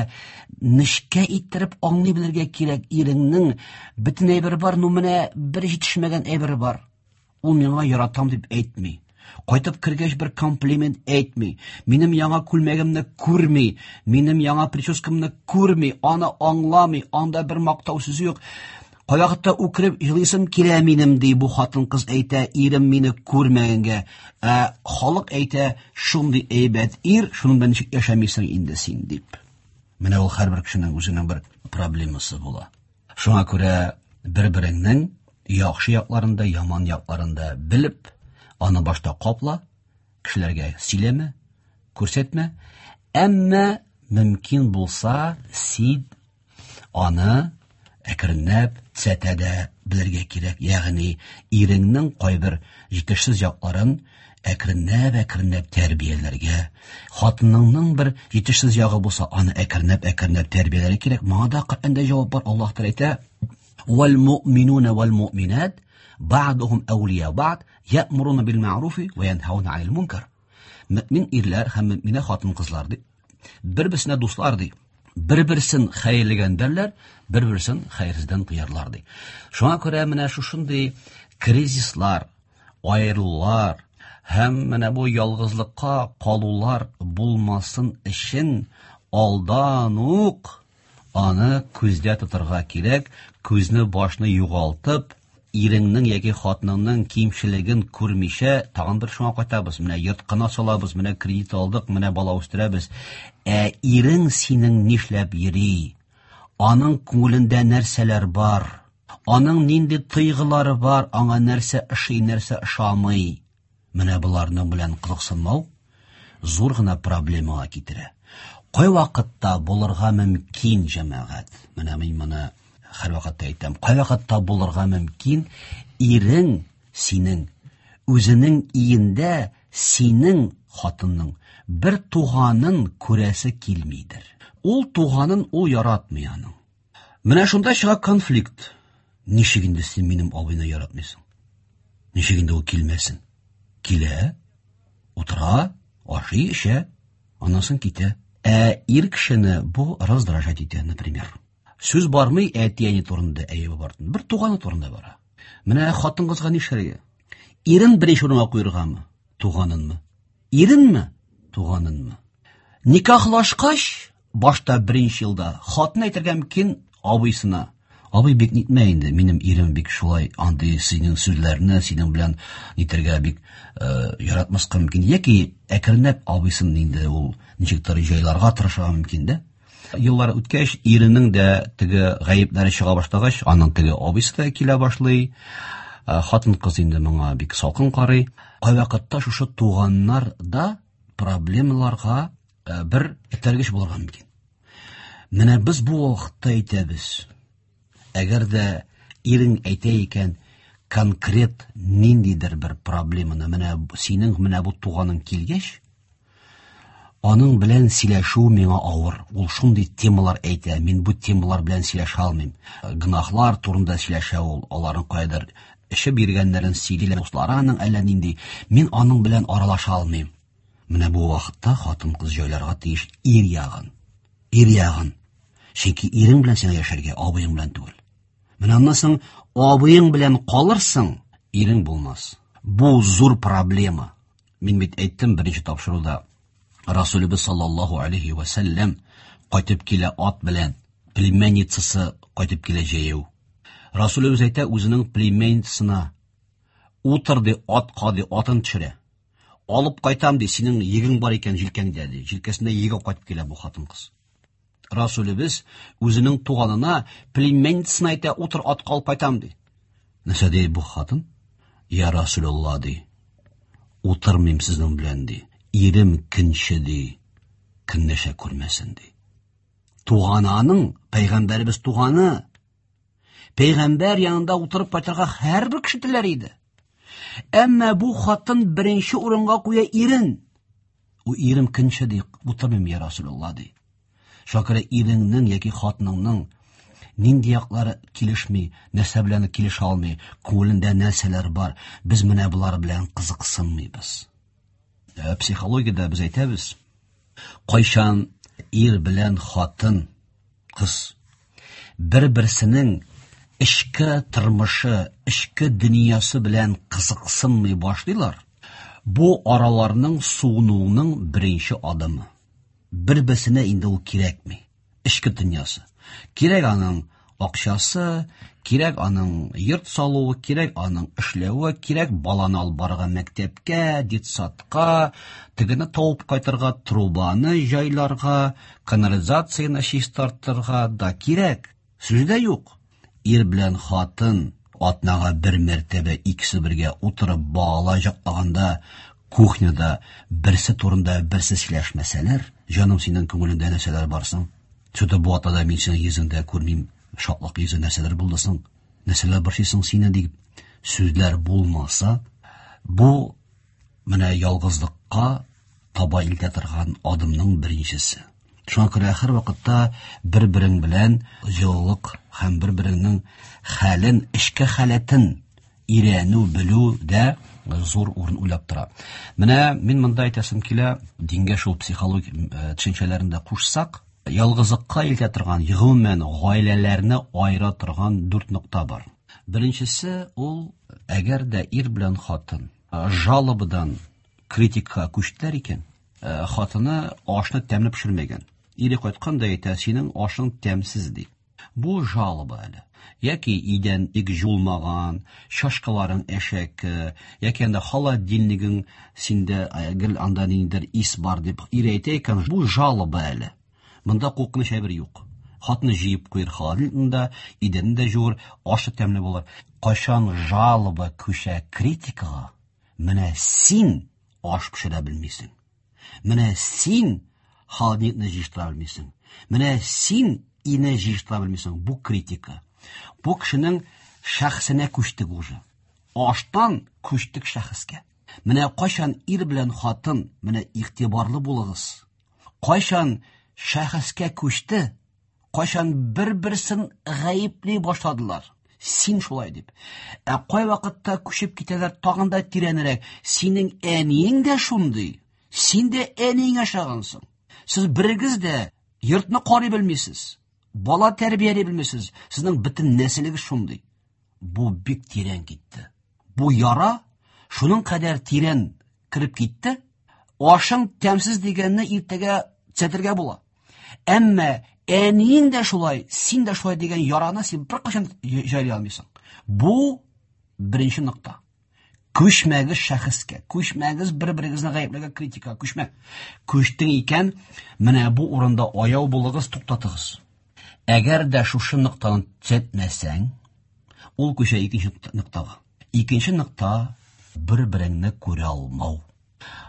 нечкә иттереп аңлый белергә кирәк. Иреңнең бөтен әйбере бар, ну менә бер җитешмәгән әйбере бар. Ул миңа яратам дип әйтми. Кайтып кергәч бер комплимент әйтми. Минем яңа күлмәгемне күрми, минем яңа прическамны күрми, аны аңламый, анда бер мактау сүзе юк. Кайвакытта үкереп елыйсым килә минем, ди бу хатын-кыз әйтә, ирем мине күрмәгәнгә. Ә халык әйтә, шундый әйбәт ир, шуның белән ничек яшәмисең инде син дип. Менә ул һәрбер кешенең үзенең бер проблемасы була. Шуңа күрә бер-береңнең яхшы якларын да, яман якларын да белеп, аны башта капла, кешеләргә сөйләмә, күрсәтмә. Әмма мөмкин булса, син аны әкренләп төзәтә дә белергә кирәк. Ягъни иреңнең кайбер җитешсез якларын әкренләп-әкренләп тәрбияләргә, хатыныңның бер җитешсез ягы булса, аны әкренләп-әкренләп тәрбияләргә кирәк. Моңа да Коръәндә җавап бар. Аллаһ Тәгалә әйтә: "Вал муъминуна вал муъминат бa'духум әүлия бa'д я'муруна бил мәгъруфи ва янһауна анил мункар." Мөмин ирләр һәм мөминә хатын-кызлар ди, бер-берсенә дуслар ди. Бер-берсен хәерлегәндәрләр, бер-берсен хәерсездән тыярлар ди. Шуңа күрә менә шушындый кризислар, аерылулар һәм менә бу ялгызлыкка калулар булмасын өчен алдан ук аны күздә тотарга кирәк, күзне башны югалтып, иреңнең яки хатыныңның кимчелеген күрмичә, тагын бер шуңа кайтабыз. Менә йорт кына салабыз, менә кредит алдык, менә бала үстерәбез. Ә ирең синең нишләп йөри? Аның күңелендә нәрсәләр бар? Аның нинди тойгылары бар, аңа нәрсә ошый, нәрсә ошамый? Менә боларның белән кызыксынмау зур гына проблемага китерә. Кай вакытта булырга мөмкин, җәмәгать? Менә мин моны һәр вакытта әйтәм. Кай вакытта булырга мөмкин ирең синең үзенең иендә синең хатынның бер туганын күрәсе килмидер. Ул туганын ул яратмый аның. Менә шунда чыга конфликт. Ничек инде син минем абыйны яратмыйсың? Ничек инде ул килмәсен? Килә, утыра, ашый, эчә, аннан соң китә. Ә ир кешене бу раздражать итә, например. Сүз бармый әти-әни турында, әйе бар. Бер туганы турында бара. Менә хатын-кызга нишләргә? Ирен беренче урынга куяргамы? Туганынмы? Иренме? Туганынмы? Никахлашкач, башта беренче елда хатын әйтергә мөмкин абыйсына. Абый бик нитмә инде, минем ирем бик шулай андый синең сүзләрне синең белән нитергә бик яратмаска мөмкин. Яки әкренләп абыйсын инде ул ничектер җайларга тырышырга мөмкин дә. Еллар үткәч, иренең дә теге гаепләре чыга башлагач, аның теге абыйсы да килә башлый. Хатын-кыз инде моңа бик салкын карый. Кайвакытта шушы туганнар да проблемаларга бер этәргеч булырга мөмкин. Менә без бу вакытта әйтәбез. Әгәр дә ирең әйтә икән, конкрет ниндидер бер проблеманы, менә синең менә бу туганың килгәч, аның белән сөйләшү миңа авыр. Ул шундый темалар әйтә, мин бу темалар белән сөйләшә алмыйм. Гөнаһлар турында сөйләшә ул, аларның кайдыр эчеп йөргәннәрен сөйли, дуслары аның әллә нинди. Мин аның белән аралаша алмыйм. Менә бу вакытта хатын-кыз җайларга тиеш ир ягын. Ир ягын. Чөнки ирең белән сиңа яшәргә, абыең белән түгел. Менә аннан соң абыең белән калырсың, ирең булмас. Бу зур проблема. Мин бит әйттем беренче тапшыруда, Расулыбыз саллаллаһу алейхи ва сәлләм кайтып килә ат белән, племянницасы кайтып килә җәяү. Расулыбыз әйтә үзенең племянницасына, утыр ди, атка ди, атын төшерә. Алып кайтам ди, синең егең бар икән җилкәңдә ди. Җилкәсендә еге кайтып килә бу хатын-кыз. Расулебез үзенең туганына, племянницасына әйтә, утыр, атка алып кайтам ди. Нәрсә ди бу хатын? Я Расулулла ди. Утырмыйм сезнең белән ди. Ирем көнче ди, көнләшә күрмәсен ди. Туганы аның, пәйгамбәребез туганы. Пәйгамбәр янында утырып кайтырга һәрбер кеше теләр иде. Әмма бу хатын беренче урынга куя ирен. У ирем көнче ди, утырмыйм я Расулулла ди. Шуңа күрә иреңнең яки хатыныңның нинди яклары килешми, нәрсә белән килешә алмый, күңелендә нәрсәләр бар, без менә болар белән кызыксынмыйбыз. Психологиядә без әйтәбез, кайчан ир белән хатын, кыз бер-берсенең эчке тормышы, эчке дөньясы белән кызыксынмый башлыйлар, бу араларның суынуының беренче адымы. Бер-берсенә инде ул кирәкми. Эчке дөньясы. Кирәк аның акчасы, кирәк аның йорт салуы, кирәк аның эшләве, кирәк баланы алып барырга мәктәпкә, детсадка, тегене табып кайтырга, трубаны җайларга, канализацияне чистартырга да кирәк. Сүз дә юк. Ир белән хатын атнага бер мәртәбә икесе бергә утырып бала җаклаганда кухняда берсе турында берсе сөйләшмәсәләр, җаным, синең күңелеңдә нәрсәләр бар соң? Что-то бу атнада мин синең йөзеңдә күрмим, шатлык йөзе, нәрсәләр булды соң? Нәрсәләр борчыйсың сине дип сүзләр булмаса, бу менә ялгызлыкка таба илтә торган адымның беренчесе. Шуңа күрә һәр вакытта бер-берең белән җылылык һәм бер-береңнең хәлен, эчке халәтен өйрәнү, белү дә зур урын уйлап тора. Менә мин монда әйтәсем килә, дингә шул психологик төшенчәләрен дә кушсак, ялгызлыкка илтә торган, гомумән гаиләләрне аера торган 4 нокта бар. Беренчесе ул, әгәр дә ир белән хатын жалобадан критикага күчтеләр икән, хатыны ашны тәмле пешермәгән. Ире кайткан да әйтә, синең ашың тәмсез ди. Бу жалоба әле. Яки идән бик жулмаган, чашкаларың әшәке, яки анда холодильнигың синдә гел анда ниндидер ис бар дип ире әйтә икән, бу жалоба әле. Монда куркыныч әйбер юк. Хатны җыеп куер холодильникны, идәнне дә жуыр, ашы тәмле булыр. Кайчан жалоба күчә критикага, менә син аш пешерә белмисең. Менә син холодильникны җыештыра белмисең. Менә син ине җыештыра белмисең. Бу критика. Бу кешенең шәхесенә күчтек уже. Аштан күчтек шәхескә. Менә кайчан ир белән хатын, менә игътибарлы булыгыз. Кайчан шәхескә күчте, кайчан бер-берсен гаепли башладылар. Син шулай дип. Ә кай вакытта күчеп китәләр тагын да тирәнрәк. Синең әниең дә шундый. Син дә әниеңә ошагансың. Сез берегез дә йортны карый белмисез. Бала тәрбияли белмисез. Сезнең бөтен нәселегез шундый. Бу бик тирән китте. Бу яра шуның кадәр тирән кереп китте. Ашың тәмсез дигәнне иртәгә төзәтергә була. Әмма әниең дә шулай, син дә шулай дигән яраны син беркайчан җайлый алмыйсың. Бу беренче нокта. Күчмәгез шәхескә, күчмәгез бер-берегезне гаепләргә, критика, күчмә. Күчтең икән, менә бу урында аяу булыгыз, туктатыгыз. Әгәр дә шушы ноктаны төзәтмәсәң, ул күчә икенче ноктага. Икенче нокта бер-береңне күрә алмау.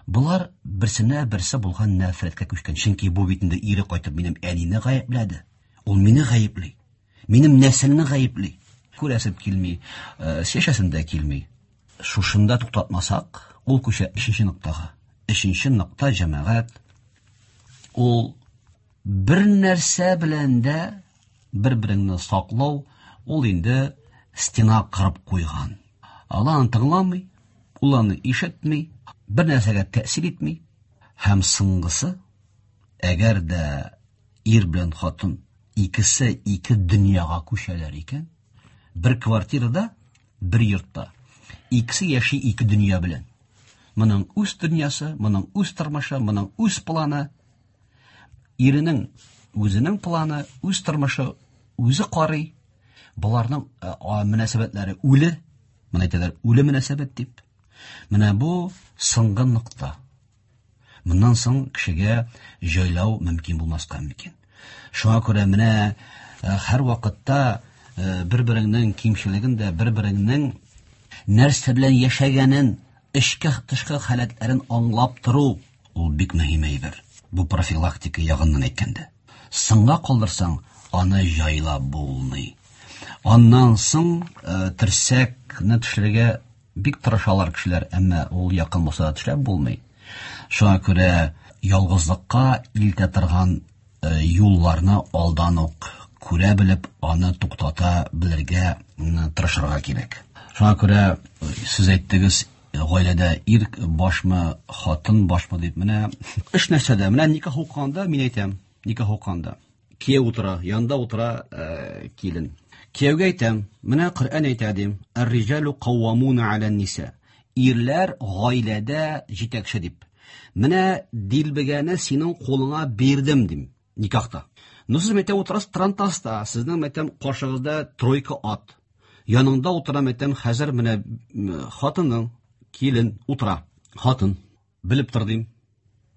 Болар берсенә берсе булган нәфрәткә күчкән. Чөнки бу бит инде ире кайтып минем әнине гаепләде. Ул мине гаепли. Минем нәселне гаепли. Күрәсем килми, сөйләшәсем дә килми. Шушында туктатмасак, ул күчә өченче ноктага. Өченче нокта җәмәгать ул бер нәрсә белән дә бер-береңне саклау, ул инде стена кырып куйган. Ул аны тыңламый, ул аны ишетми, бер нәрсәгә тәэсир итми. Һәм соңгысы, әгәр дә ир белән хатын икесе ике дөньяга күчәләр икән, бер квартирада, бер йортта, икесе яши ике дөнья белән. Моның үз дөньясы, моның үз тормышы, моның үз планы. Иренең үзенең планы, үз тормышы, үзе карый. Боларның мөнәсәбәтләре үле, моны әйтәләр, үле мөнәсәбәт дип. Менә бу соңгы нокта. Моннан соң кешегә җайлау мөмкин булмаска мөмкин. Шуңа күрә менә һәр вакытта бер-береңнең кимчелеген дә, бер-береңнең нәрсә белән яшәгәнен, эчке тышкы халәтләрен аңлап тору Ул бик мөһим әйбер. Бу профилактика ягыннан әйткәндә. Соңга калдырсаң, аны җайлап булмый. Аннан соң терсәкне төшерергә бик тырышалар кешеләр, әмма ул якын булса да төшереп булмый. Шуңа күрә ялгызлыкка илтә торган юлларны алдан ук күрә белеп, аны туктата белергә тырышырга кирәк. Шуңа күрә сез әйттегез, гаиләдә ир башмы, хатын башмы дип. Менә эш нәрсәдә? Менә никах укыганда мин әйтәм, никах укыганда кияү утыра, янында утыра килен. Кияүгә әйтәм, менә Коръән әйтә дим, ар-риҗалу каввамуна аля-ниса. Ирләр гаиләдә җитәкче дип. Менә дилбегәне синең кулыңа бирдем дим никахта. Ну сез мәйтәм утырасыз трантаста, сезнең мәйтәм каршыгызда тройка ат. Яныңда утыра мәйтәм хәзер менә хатының, килен утыра. Хатын белеп тор дим.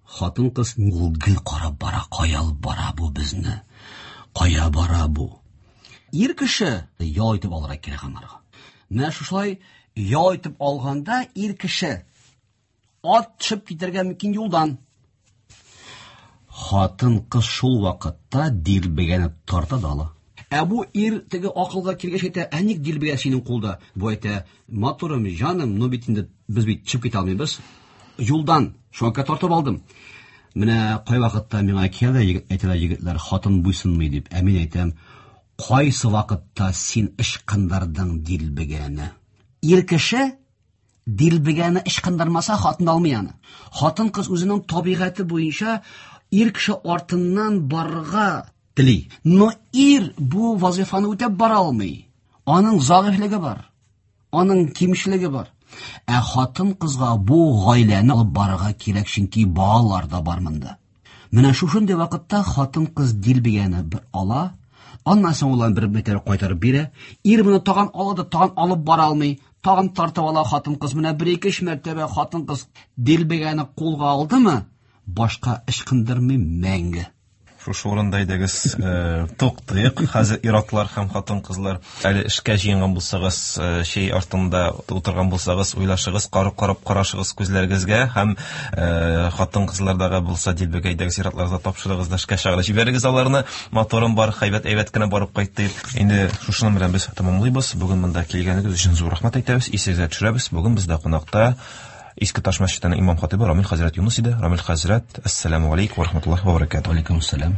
Хатын кыз ул гел карап бара, кая алып бара бу безне? Кая бара бу? Ир кеше ял итеп алырга кирәк анарга. Менә шушылай ял итеп алганда ир кеше ат төшеп китәргә мөмкин юлдан. Хатын кыз шул вакытта дилбегәне тарта да ала. Ә бу ир теге акылга килгәч әйтә, ә ник дилбегә синең кулда? Бу әйтә, матурым, җаным, ну бит инде без бит төшеп китә алмыйбыз. Юлдан, шуңа күрә тартып алдым. Менә кайвакытта миңа килә әйтәләр егетләр, хатын буйсынмый дип. Ә мин әйтәм, кайсы вакытта син ычкындырдың дилбегәне? Ир кеше дилбегәне ычкындырмаса, хатын алмый аны. Хатын кыз үзенең табигате буенча ир кеше артыннан барырга тели. Но ир бу вазифаны үтәп бара алмый. Аның зәгыйфьлеге бар. Аның кимчелеге бар. Ә хатын кызга бу гаиләне алып барырга кирәк, чөнки балалар да бар монда. Менә шушындый вакытта хатын кыз дилбегәне бер ала, аннан соң ул аны бер мәртәбә кайтарып бирә. Ир моны тагын ала да тагын алып бара алмый, тагын тартып ала хатын кыз. Менә бер-ике өч мәртәбә хатын кыз дилбегәне кулга алдымы, башка ычкындырмый мәңге. Шушы урында әйдәгез, туктыйк. Хәзер ир-атлар һәм хатын-кызлар әле эшкә җыенган булсагыз, чәй артында утырган булсагыз, уйлашыгыз, карап карашыгыз күзләрегезгә һәм хатын-кызлардагы булса дилбегә әйдәгез ир-атларга тапшырыгыз да эшкә чыгарып җибәрегез аларны. Моторым бар, әйбәт әйбәт кенә барып кайтты. Инде шушының белән без тәмамлыйбыз. Бүген монда килгәнегез өчен зур рәхмәт әйтәбез. Исегезгә төшерәбез. Бүген бездә кунакта Иске Таш мәчетенең имам хатибы Рамил хәзрәт Юныс иде. Рамил хәзрәт, әссәламү алейкум ва рахматуллаһи ва баракатуһ. Алейкум ассалам.